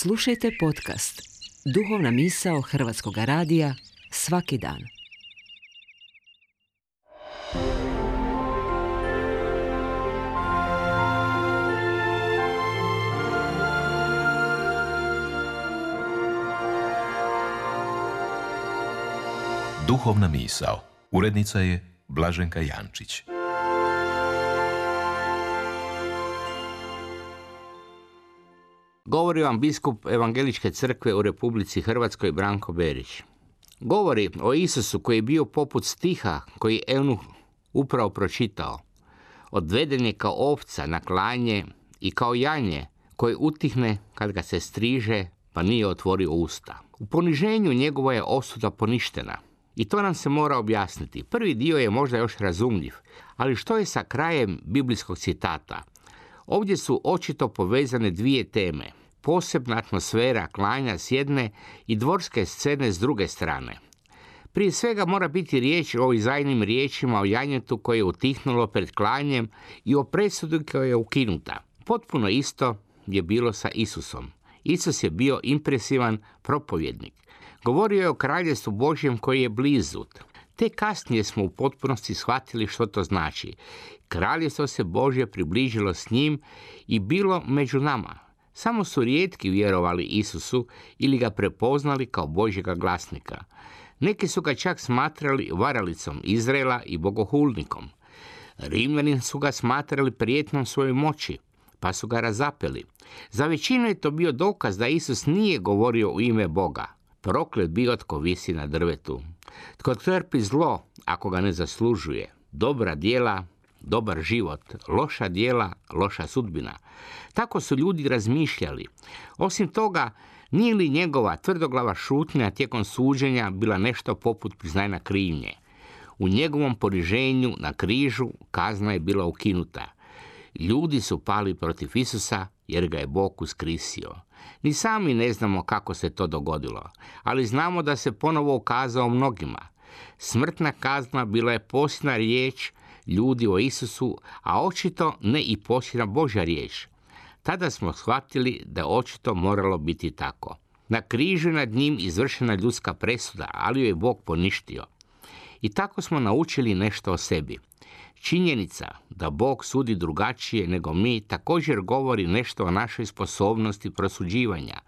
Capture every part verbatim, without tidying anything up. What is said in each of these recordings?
Slušajte podcast Duhovna misao Hrvatskog radija svaki dan. Duhovna misao. Urednica je Blaženka Jančić. Govori vam biskup Evangeličke crkve u Republici Hrvatskoj Branko Berić. Govori o Isusu koji je bio poput stiha koji Eunuh upravo pročitao. Odveden je kao ovca na klanje i kao janje koje utihne kad ga se striže pa nije otvorio usta. U poniženju njegova je osuda poništena. I to nam se mora objasniti. Prvi dio je možda još razumljiv, ali što je sa krajem biblijskog citata? Ovdje su očito povezane dvije teme. Posebna atmosfera klanja s jedne i dvorske scene s druge strane. Prije svega mora biti riječ o Izajnim riječima o janjetu koje je utihnulo pred klanjem i o presudi koja je ukinuta. Potpuno isto je bilo sa Isusom. Isus je bio impresivan propovjednik. Govorio je o kraljevstvu Božjem koji je blizu. Te kasnije smo u potpunosti shvatili što to znači. Kraljevstvo se Božje približilo s njim i bilo među nama. Samo su rijetki vjerovali Isusu ili ga prepoznali kao Božjega glasnika. Neki su ga čak smatrali varalicom Izraela i bogohulnikom. Rimljani su ga smatrali prijetnom svojoj moći, pa su ga razapeli. Za većinu je to bio dokaz da Isus nije govorio u ime Boga. Proklet bio tko visi na drvetu. Tko trpi zlo ako ga ne zaslužuje. Dobra djela, dobar život. Loša djela, loša sudbina. Tako su ljudi razmišljali. Osim toga, nije li njegova tvrdoglava šutnja tijekom suđenja bila nešto poput priznanja krivnje? U njegovom poniženju na križu kazna je bila ukinuta. Ljudi su pali protiv Isusa jer ga je Bog uskrisio. Ni sami ne znamo kako se to dogodilo, ali znamo da se ponovo ukazao mnogima. Smrtna kazna bila je posljednja riječ ljudi o Isusu, a očito ne i posljednja Božja riječ. Tada smo shvatili da je očito moralo biti tako. Na križu nad njim izvršena ljudska presuda, ali ju je Bog poništio. I tako smo naučili nešto o sebi. Činjenica da Bog sudi drugačije nego mi također govori nešto o našoj sposobnosti prosuđivanja.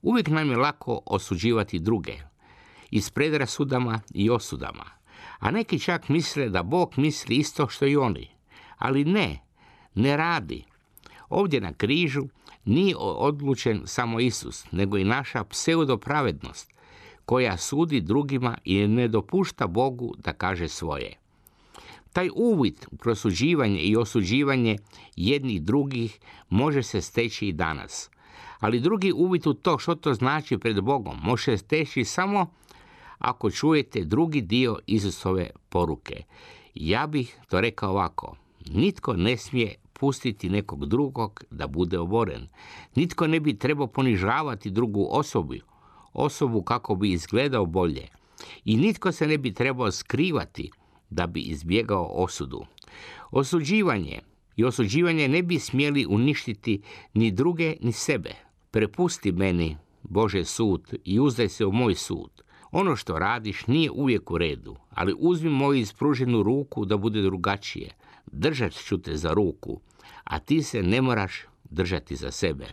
Uvijek nam je lako osuđivati druge, i s predrasudama i osudama. A neki čak misle da Bog misli isto što i oni. Ali ne, ne radi. Ovdje na križu nije odlučen samo Isus, nego i naša pseudopravednost, koja sudi drugima i ne dopušta Bogu da kaže svoje. Taj uvid u prosuđivanje i osuđivanje jednih drugih može se steći i danas. Ali drugi uvid u to što to znači pred Bogom može se steći samo ako čujete drugi dio Isusove poruke. Ja bih to rekao ovako. Nitko ne smije pustiti nekog drugog da bude oboren. Nitko ne bi trebao ponižavati drugu osobu, osobu kako bi izgledao bolje. I nitko se ne bi trebao skrivati da bi izbjegao osudu. Osuđivanje i osuđivanje ne bi smjeli uništiti ni druge ni sebe. Prepusti meni, Bože, sud i uzdaj se u moj sud. Ono što radiš nije uvijek u redu, ali uzmi moju ispruženu ruku da bude drugačije. Držat ću te za ruku, a ti se ne moraš držati za sebe.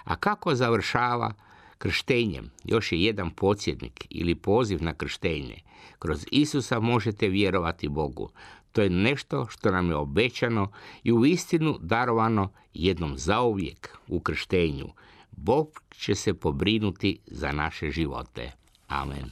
A kako završava krštenjem? Još je jedan podsjetnik ili poziv na krštenje. Kroz Isusa možete vjerovati Bogu. To je nešto što nam je obećano i uistinu darovano jednom zauvijek u krštenju. Bog će se pobrinuti za naše živote. Amen.